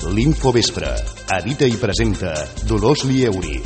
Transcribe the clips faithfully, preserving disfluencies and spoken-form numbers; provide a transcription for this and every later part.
L'Infovespre. Edita i presenta Dolors Lieuri.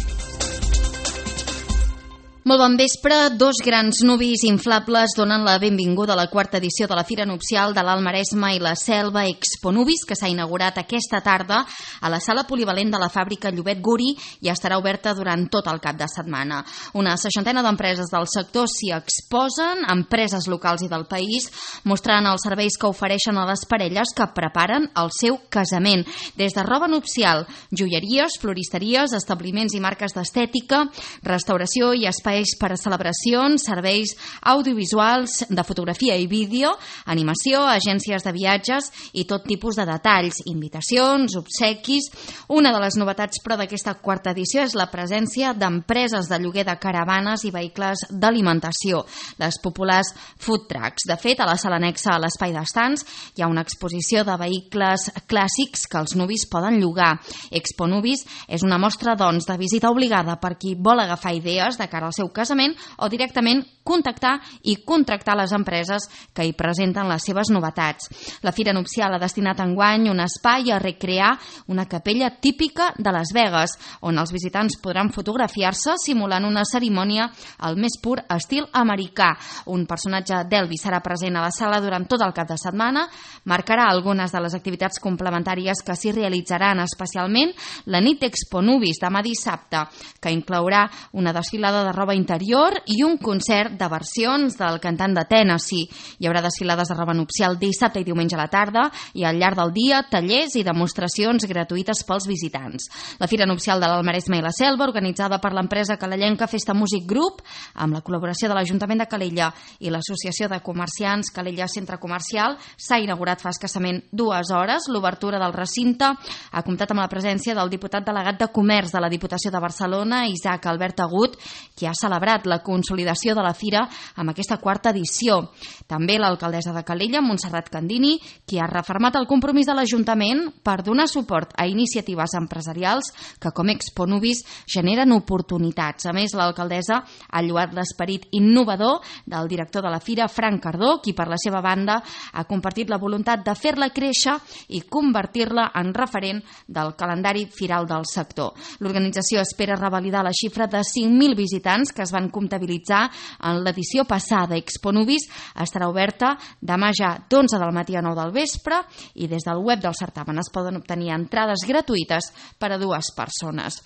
Molt bon vespre. Dos grans nuvis inflables donen la benvinguda a la quarta edició de la Fira Nupcial de l'Alt Maresme i la Selva Expo Nubis, que s'ha inaugurat aquesta tarda a la sala polivalent de la fàbrica Llobet Guri i estarà oberta durant tot el cap de setmana. Una seixantena d'empreses del sector s'hi exposen, empreses locals i del país, mostrant els serveis que ofereixen a les parelles que preparen el seu casament. Des de roba nupcial, joieries, floristeries, establiments i marques d'estètica, restauració i espais per a celebracions, serveis audiovisuals de fotografia i vídeo, animació, agències de viatges i tot tipus de detalls, invitacions, obsequis. Una de les novetats, però, d'aquesta quarta edició és la presència d'empreses de lloguer de caravanes i vehicles d'alimentació, les populars food trucks. De fet, a la sala anexa a l'espai d'estants hi ha una exposició de vehicles clàssics que els nuvis poden llogar. Expo Nubis és una mostra, doncs, de visita obligada per qui vol agafar idees de cara al seu casament o directament contactar i contractar les empreses que hi presenten les seves novetats. La Fira Nupcial ha destinat enguany un espai a recrear una capella típica de Las Vegas, on els visitants podran fotografiar-se simulant una cerimònia al més pur estil americà. Un personatge d'Elvis serà present a la sala durant tot el cap de setmana, marcarà algunes de les activitats complementàries que s'hi realitzaran, especialment la nit d'Expo Nubis demà dissabte, que inclourà una desfilada de roba interior i un concert de versions del cantant de Tennessee. Hi haurà desfilades de roba nupcial dissabte i diumenge a la tarda i al llarg del dia tallers i demostracions gratuïtes pels visitants. La Fira Nupcial de l'Alt Maresme i la Selva, organitzada per l'empresa calellenca Festa Music Group, amb la col·laboració de l'Ajuntament de Calella i l'Associació de Comerciants Calella Centre Comercial, s'ha inaugurat fa escassament dues hores. L'obertura del recinte ha comptat amb la presència del diputat delegat de Comerç de la Diputació de Barcelona, Isaac Albert Agut, qui ha celebrat la consolidació de la Fira amb aquesta quarta edició. També l'alcaldessa de Calella, Montserrat Candini, qui ha refermat el compromís de l'Ajuntament per donar suport a iniciatives empresarials que, com Expo Nubis, generen oportunitats. A més, l'alcaldessa ha lloat l'esperit innovador del director de la Fira, Frank Cardó, qui per la seva banda ha compartit la voluntat de fer-la créixer i convertir-la en referent del calendari firal del sector. L'organització espera revalidar la xifra de cinc mil visitants que es van comptabilitzar en l'edició passada. Expo Nubis estarà oberta demà ja d'onze del matí a nou del vespre i des del web del certamen es poden obtenir entrades gratuïtes per a dues persones.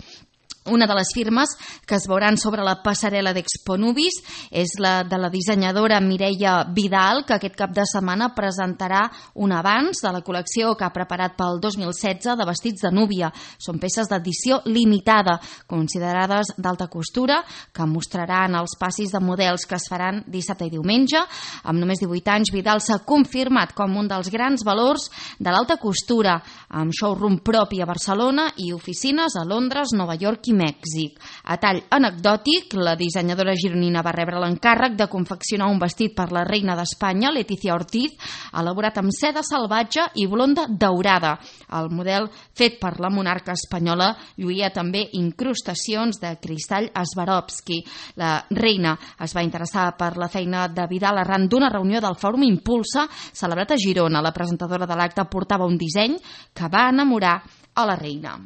Una de les firmes que es veuran sobre la passarel·la d'Expo Nubis és la de la dissenyadora Mireia Vidal, que aquest cap de setmana presentarà un avanç de la col·lecció que ha preparat pel dos mil setze de vestits de núvia. Són peces d'edició limitada, considerades d'alta costura, que mostraran els passis de models que es faran dissabte i diumenge. Amb només divuit anys, Vidal s'ha confirmat com un dels grans valors de l'alta costura, amb showroom propi a Barcelona i oficines a Londres, Nova York i Mèxic. A tall anecdòtic, la dissenyadora gironina va rebre l'encàrrec de confeccionar un vestit per la reina d'Espanya, Letizia Ortiz, elaborat amb seda salvatge i blonda daurada. El model fet per la monarca espanyola lluïa també incrustacions de cristall Swarovski. La reina es va interessar per la feina de Vidal arran d'una reunió del Fòrum Impulsa celebrat a Girona. La presentadora de l'acte portava un disseny que va enamorar a la reina.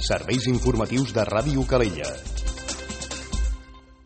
Serveis informatius de Ràdio Calella.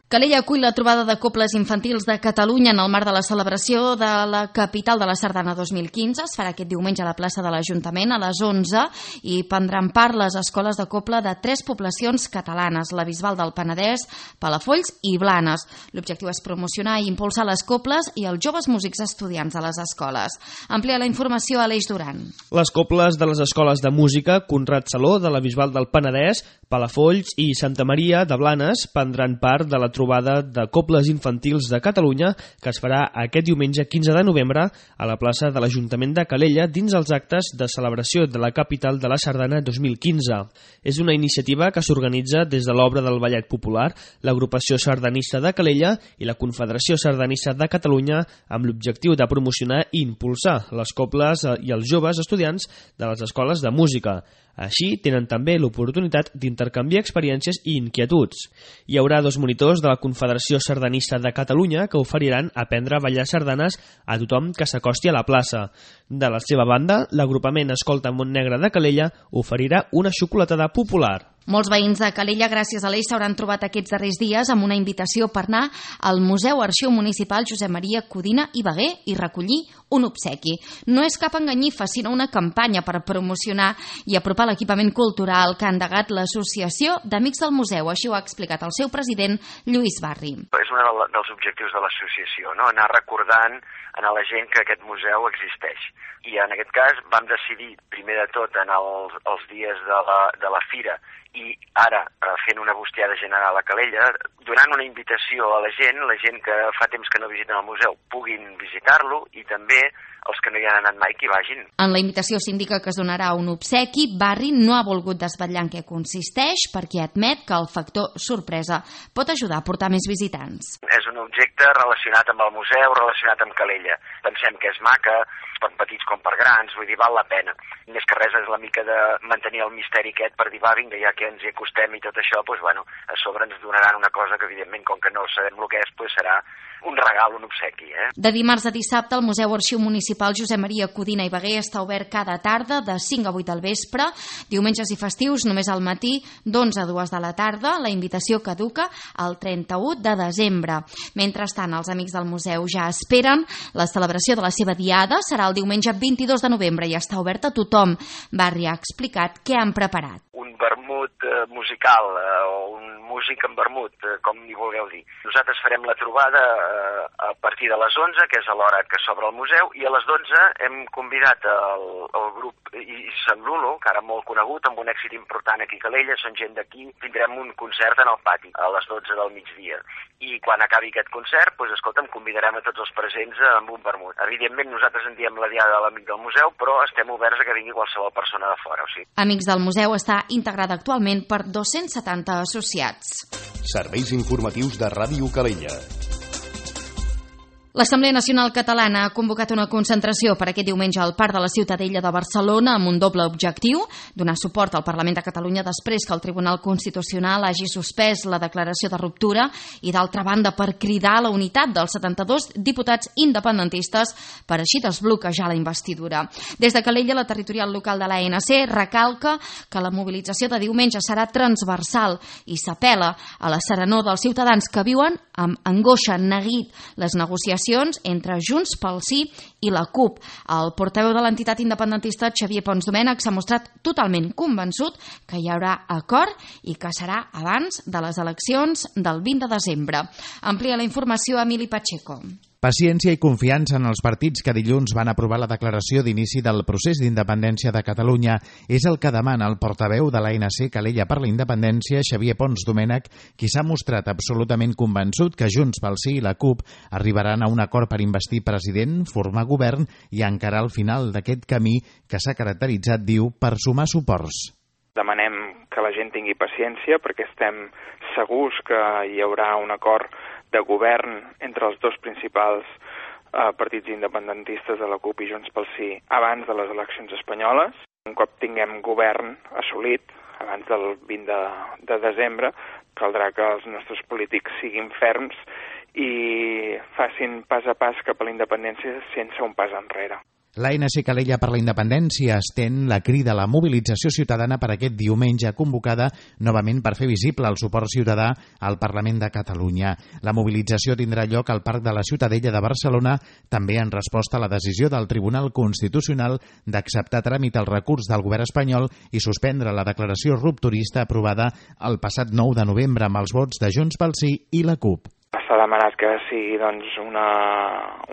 Calella acull la trobada de cobles infantils de Catalunya en el marc de la celebració de la capital de la Sardana dos mil quinze. Es farà aquest diumenge a la plaça de l'Ajuntament a les onze i prendran part les escoles de coble de tres poblacions catalanes, la Bisbal del Penedès, Palafolls i Blanes. L'objectiu és promocionar i impulsar les cobles i els joves músics estudiants a les escoles. Amplia la informació a l'Eix Duran. Les cobles de les escoles de música Conrad Saló de la Bisbal del Penedès, Palafolls i Santa Maria de Blanes prendran part de la trobada de cobles infantils de Catalunya que es farà aquest diumenge quinze de novembre a la plaça de l'Ajuntament de Calella dins els actes de celebració de la capital de la Sardana dos mil quinze. És una iniciativa que s'organitza des de l'obra del Ballet Popular, l'Agrupació Sardanista de Calella i la Confederació Sardanista de Catalunya amb l'objectiu de promocionar i impulsar les cobles i els joves estudiants de les escoles de música. Així, tenen també l'oportunitat d'intercanviar experiències i inquietuds. Hi haurà dos monitors de la Confederació Sardanista de Catalunya que oferiran aprendre a ballar sardanes a tothom que s'acosti a la plaça. De la seva banda, l'agrupament Escolta Montnegre de Calella oferirà una xocolatada popular. Molts veïns de Calella, gràcies a l'Eix, s'hauran trobat aquests darrers dies amb una invitació per anar al Museu Arxiu Municipal Josep Maria Codina i Bagué i recollir un obsequi. No és cap enganyifa, sinó una campanya per promocionar i apropar l'equipament cultural que ha endegat l'Associació d'Amics del Museu. Així ho ha explicat el seu president, Lluís Barri. És un dels objectius de l'associació, no? Anar recordant a la gent que aquest museu existeix. I en aquest cas vam decidir, primer de tot, en els, els dies de la, de la fira i ara fent una bustiada general a Calella, donant una invitació a la gent, la gent que fa temps que no visiten el museu puguin visitar-lo i també els que no hi han anat mai que hi vagin. En la invitació s'indica que es donarà un obsequi. Barri no ha volgut desvetllar en què consisteix perquè admet que el factor sorpresa pot ajudar a portar més visitants. És un objecte relacionat amb el museu, relacionat amb Calella. Pensem que és maca, per petits com per grans, vull dir, val la pena. Més que res és la mica de mantenir el misteri aquest per dir, va, vinga, ja que ens hi acostem i tot això, doncs, bueno, a sobre ens donaran una cosa que, evidentment, com que no sabem el que és, doncs serà un regal, un obsequi. Eh? De dimarts a dissabte, el Museu Arxiu Municipal Josep Maria Codina i Bagué està obert cada tarda de cinc a vuit del vespre, diumenges i festius només al matí d'onze a dues de la tarda. La invitació caduca el trenta-u de desembre. Mentrestant, els amics del museu ja esperen. La celebració de la seva diada serà el diumenge vint-i-dos de novembre i està oberta a tothom. Barri ha explicat què han preparat. Un vermut eh, musical eh, o un músic en vermut, eh, com hi vulgueu dir. Nosaltres farem la trobada eh, a partir de les onze, que és a l'hora que s'obre el museu, i a les dotze hem convidat el, el grup I Sant Lulo, que ara molt conegut, amb un èxit important aquí a Calella, són gent d'aquí, tindrem un concert en el pati a les dotze del migdia. I quan acabi aquest concert, doncs, escolta'm, convidarem a tots els presents amb un vermut. Evidentment, nosaltres en diem la diada de l'amic del museu, però estem oberts a que vingui qualsevol persona de fora. O sigui. Amics del Museu està integrada actualment per dos-cents setanta associats. Serveis informatius de Ràdio Calella. L'Assemblea Nacional Catalana ha convocat una concentració per aquest diumenge al Parc de la Ciutadella de Barcelona amb un doble objectiu: donar suport al Parlament de Catalunya després que el Tribunal Constitucional hagi suspès la declaració de ruptura i, d'altra banda, per cridar a la unitat dels setanta-dos diputats independentistes per així desbloquejar la investidura. Des de Calella, la territorial local de l'A N C recalca que la mobilització de diumenge serà transversal i s'apel·la a la serenor dels ciutadans que viuen amb angoixa, neguit les negociacions entre Junts pel Sí i la CUP. El portaveu de l'entitat independentista, Xavier Pons Domènech, s'ha mostrat totalment convençut que hi haurà acord i que serà abans de les eleccions del vint de desembre. Amplia la informació Emili Pacheco. Paciència i confiança en els partits que dilluns van aprovar la declaració d'inici del procés d'independència de Catalunya és el que demana el portaveu de l'A N C Calella per la Independència, Xavier Pons Domènech, qui s'ha mostrat absolutament convençut que Junts pel Sí i la CUP arribaran a un acord per investir president, formar govern i encarar el final d'aquest camí que s'ha caracteritzat, diu, per sumar suports. Demanem que la gent tingui paciència perquè estem segurs que hi haurà un acord de govern entre els dos principals eh, partits independentistes de la CUP i Junts pel Sí abans de les eleccions espanyoles. Un cop tinguem govern assolit, abans del vint de, de desembre, caldrà que els nostres polítics siguin ferms i facin pas a pas cap a la independència sense un pas enrere. L'A N C Calella per la Independència estén la crida a la mobilització ciutadana per aquest diumenge, convocada novament per fer visible el suport ciutadà al Parlament de Catalunya. La mobilització tindrà lloc al Parc de la Ciutadella de Barcelona, també en resposta a la decisió del Tribunal Constitucional d'acceptar tràmit el recurs del govern espanyol i suspendre la declaració rupturista aprovada el passat nou de novembre amb els vots de Junts pel Sí i la CUP. S'ha demanat que sigui doncs, una,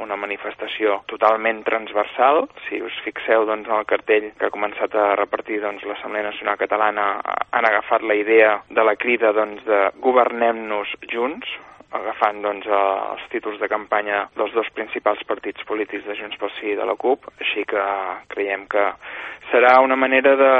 una manifestació totalment transversal. Si us fixeu doncs, en el cartell que ha començat a repartir doncs, l'Assemblea Nacional Catalana, han agafat la idea de la crida doncs, de governem-nos junts, agafant doncs, els títols de campanya dels dos principals partits polítics de Junts pel Sí i de la CUP, així que creiem que serà una manera de,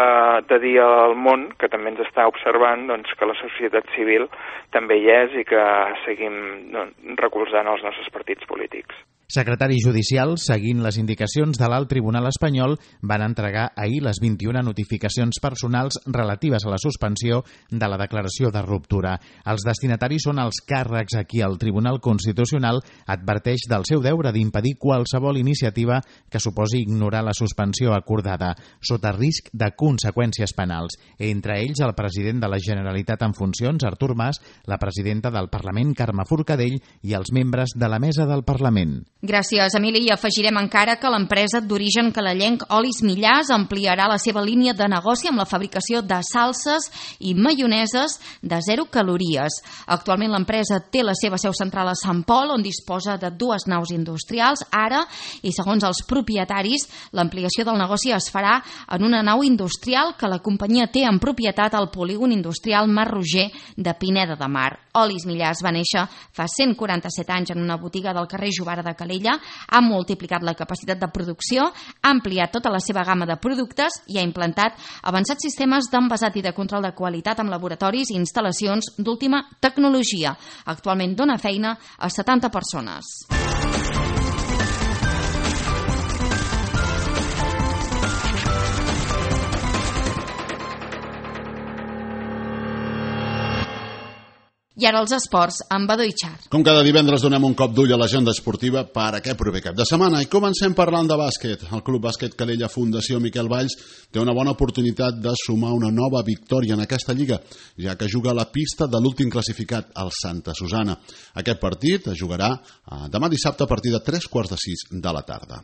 de dir al món, que també ens està observant, doncs, que la societat civil també hi és i que seguim doncs, recolzant els nostres partits polítics. Secretaris judicials, seguint les indicacions de l'Alt Tribunal espanyol, van entregar ahir les vint-i-una notificacions personals relatives a la suspensió de la declaració de ruptura. Els destinataris són els càrrecs a qui el Tribunal Constitucional adverteix del seu deure d'impedir qualsevol iniciativa que suposi ignorar la suspensió acordada, sota risc de conseqüències penals. Entre ells, el president de la Generalitat en funcions, Artur Mas, la presidenta del Parlament, Carme Forcadell, i els membres de la mesa del Parlament. Gràcies, Emili. I afegirem encara que l'empresa d'origen calalenc Olis Millars ampliarà la seva línia de negoci amb la fabricació de salses i maioneses de zero calories. Actualment l'empresa té la seva seu central a Sant Pol, on disposa de dues naus industrials. Ara, i segons els propietaris, l'ampliació del negoci es farà en una nau industrial que la companyia té en propietat al polígon industrial Mar Roger de Pineda de Mar. Olis Millars va néixer fa cent quaranta-set anys en una botiga del carrer Jovara de Calella, ha multiplicat la capacitat de producció, ha ampliat tota la seva gamma de productes i ha implantat avançats sistemes d'envasat i de control de qualitat amb laboratoris i instal·lacions d'última tecnologia. Actualment dona feina a setanta persones. I ara els esports, amb Badó i Xar. Com cada divendres donem un cop d'ull a l'agenda esportiva per aquest proper cap de setmana i comencem parlant de bàsquet. El Club Bàsquet Calella Fundació Miquel Valls té una bona oportunitat de sumar una nova victòria en aquesta lliga, ja que juga a la pista de l'últim classificat, el Santa Susana. Aquest partit es jugarà demà dissabte a partir de tres quarts de sis de la tarda.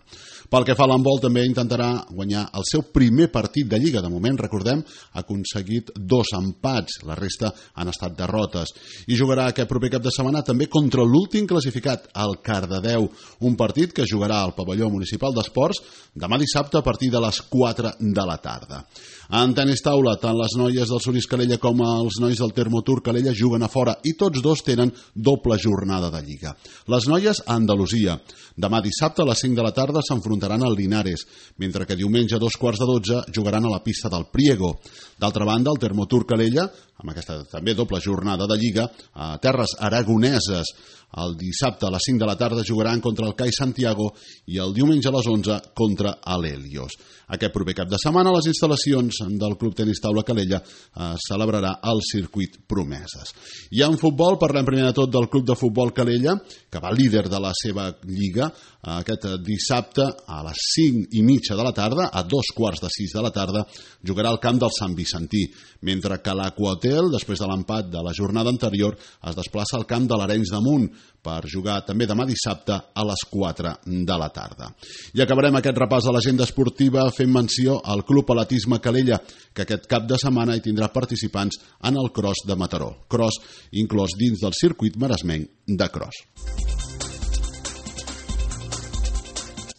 Pel que fa a l'handbol, també intentarà guanyar el seu primer partit de lliga. De moment, recordem, ha aconseguit dos empats, la resta han estat derrotes. I jugarà aquest proper cap de setmana també contra l'últim classificat, el Cardedeu, un partit que jugarà al pavelló municipal d'esports demà dissabte a partir de les quatre de la tarda. En tenis taula, tant les noies del Solís Calella com els nois del Termotur Calella juguen a fora i tots dos tenen doble jornada de lliga. Les noies a Andalusia. Demà dissabte a les cinc de la tarda s'enfrontaran al Linares, mentre que diumenge a dos quarts de dotze jugaran a la pista del Priego. D'altra banda, el Termotur Calella, amb aquesta també doble jornada de lliga, a terres aragoneses, el dissabte a les cinc de la tarda jugaran contra el C A I Santiago i el diumenge a les onze contra l'Helios. Aquest proper cap de setmana les instal·lacions del Club Tenis Taula Calella eh, celebrarà el circuit Promeses. I en futbol parlem primer de tot del Club de Futbol Calella, que va líder de la seva lliga, eh, aquest dissabte a les cinc i mitja de la tarda, a dos quarts de sis de la tarda, jugarà al camp del Sant Vicentí, mentre que l'Aquahotel, després de l'empat de la jornada anterior, es desplaça al camp de l'Arenys de Munt per jugar també demà dissabte a les quatre de la tarda. I acabarem aquest repàs de l'agenda esportiva fent menció al Club Atletisme Calella, que aquest cap de setmana hi tindrà participants en el Cross de Mataró. Cross inclòs dins del circuit maresmenc de Cross.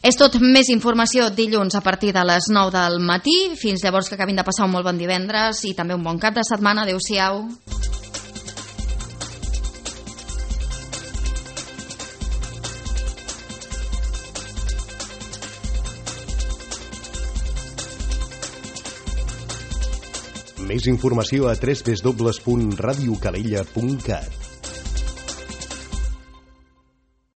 És tot. Més informació dilluns a partir de les nou del matí. Fins llavors, que acabin de passar un molt bon divendres i també un bon cap de setmana. Adéu-siau. Més informació a w w w punt radio calella punt cat.